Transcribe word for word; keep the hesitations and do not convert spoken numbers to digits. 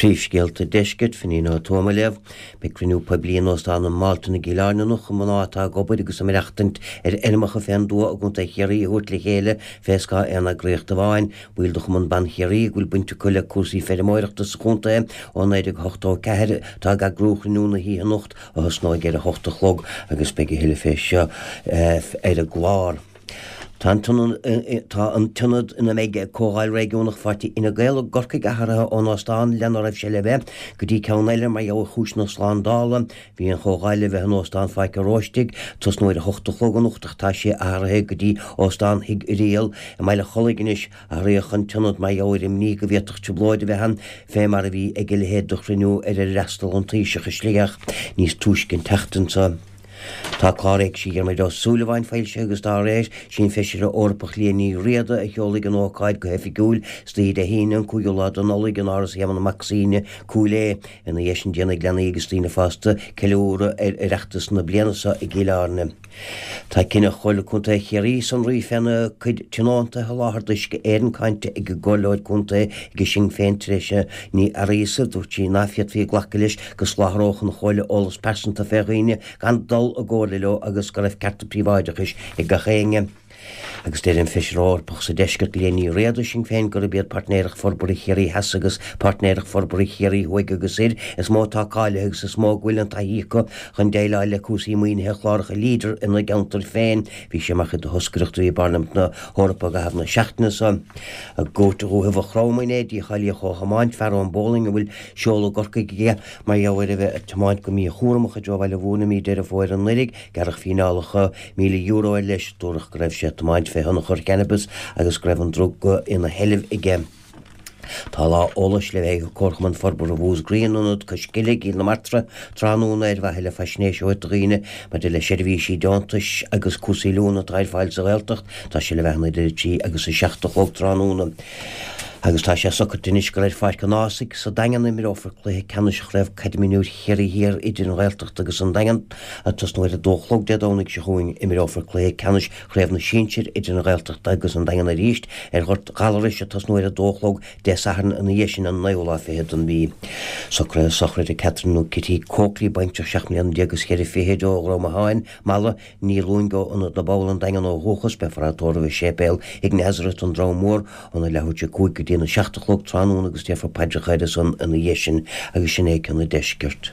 Príomhscéalta Deiscirt, Finín Ó Tuama á léamh. Beidh cruinniú poiblí in Óstán an Mhalton i gCill Airne anocht chun mná atá ag obair agus ag maireachtaint ar fheirmeacha fén dtuath i gContae Chiarraí a thabhairt le chéile fé scáth aon eagraíocht amháin. Baill de Chumann Ban Chiarraí, go bhfuil baint acu le cúrsaí feirmeoireachta sa chontae ó naoi déag ochtó a ceathair, atá ag eagrú chruinniú na hoíche anocht a thosnóidh ar a hocht a chlog agus beidh a thuilleadh fé seo ar an gclár. Tá an t-ionad ina mbeidh Comhdháil Réigiúnach Pháirtí Fhine Gael i gCorcaigh athraithe ón óstán lena raibh sé le bheith go dtí ceann eile mar gheall ar chúiseanna slándála. Bhí an chomhdháil le bheith in Óstán Pháirc an Róistigh, tosnú ar a hocht a chlog anocht ach tá sé athraithe go dtí Óstán Thigh Irial i mBaile Chollaigh anois. Athraíodh an t-ionad mar gheall ar imní go bhféadfadh trioblóid a bheith ann fé mar a bhí ag a leithéid de chruinniú ar ar fhreastal an Taoiseach i Sligeach níos túisce an tseachtain seo. Tá clár Éigse Dhiarmuid Ó Súilleabháin foilsithe agus dá réir, sí an Feisire Eorpach Liadh Ní Riada a sheolfaidh an ócáid go hoifigiúil istoíche Dé hAoine an cúigiú lá de Nollaig in Áras Éamonn Mac Suibhne, Cúil Aodha. Ina dhiaidh sin déanfaidh leanaí agus daoine fásta ceiliúradh ar Oireachtas na bliana seo i gCill Airne. Tá cinneadh Chomhairle Contae Chiarraí sonraí féna cuid tionóntaithe a sholáthar d'Uisce Éireann cáinte ag an gComhairleoir Contae ag Sinn Féin Treasa Ní Fhearghusa. Dúirt sí ná féadfaí glacadh leis go soláthródh an Chomhairle eolas pearsanta fé dhaoine gan dul i gcomhairle leo agus go raibh cearta príobháideachais ag gach éinne. Agus deir an Feisire Eorpach sa Deisceart Liadh Ní Riada, Sinn Féin, gurb iad Páirtnéireacht Forbartha Chiarraí Theas agus Páirtnéireacht Forbartha Chiarraí Thuaidh agus Thoir is mó atá cáilithe agus is mó go bhfuil an taithí acu chun déileáil le cúrsaí maoinithe chláracha Leader ina gceantair féin. Bhí sé mar chuid de thoscaireacht a bhí i bParlaimint na hEorpa i gcaitheamh na seachtaine seo. I gCúirt Dhúiche Mhaigh Chromtha inné, dícháilíodh ó thiomáint fear ón Bólainn a bhfuil seoladh i gCorcaigh aige mar gheall ar a bheith ag tiomáint go míchúramach i dtreo Bhaile Mhúirne i mí Deireadh Fómhair anuraidh. Gearradh fíneálacha míle euro air leis. Dúradh go raibh sé ag tiomáint fé thionchar cannabais agus go raibh an druga ina sheilbh aige. Tá lá eolais le bheith ag Comharchumann Forbartha Mhúscraí in Ionad Cois Cille i gCill na Martra tráthnóna ar mhaithe le faisnéis a thabhairt do dhaoine maidir le seirbhísí deontais agus cúrsaí oiliúna atá ar fáil sa Ghaeltacht. Tá sé le bheith ann idir a trí agus a seacht a chlog tráthnóna. Agus tá sé socraithe anois gur ar Pháirc an Ághasaigh sa Daingean a imreofar cluiche ceannais Chraobh Caide Mionúir Chiarraí Thiar idir an Ghaeltacht agus an Daingean. Ag tosnú ar a dó a chlog Dé Domhnaigh seo chugainn, imreofar cluiche ceannais Chraobh na Sinsear idir an Ghaeltacht agus an Daingean arís ar Ghort Ghallarais ag tosnú ar a dó a chlog Dé Sathairn ina dhiaidh sin an naoú lá fichead den mhí. Socruithe sochraide Catherine nó Kitty Coakley, baintreach seacht mbliana déag is ceithre fichid ó Dhrom Atháin, Mala, Ní Luing ó Ionad na bPoll, An Daingean ó dhúchas, beifear á tórramh i Séipéal Thigh Nazareth, An Drom Mór, óna leathuair tar éis a cúig go dtí a seacht a chlog tráthnóna agus déarfar paidreacha air san ina dhiaidh sin agus sin é ceann an deiscirt.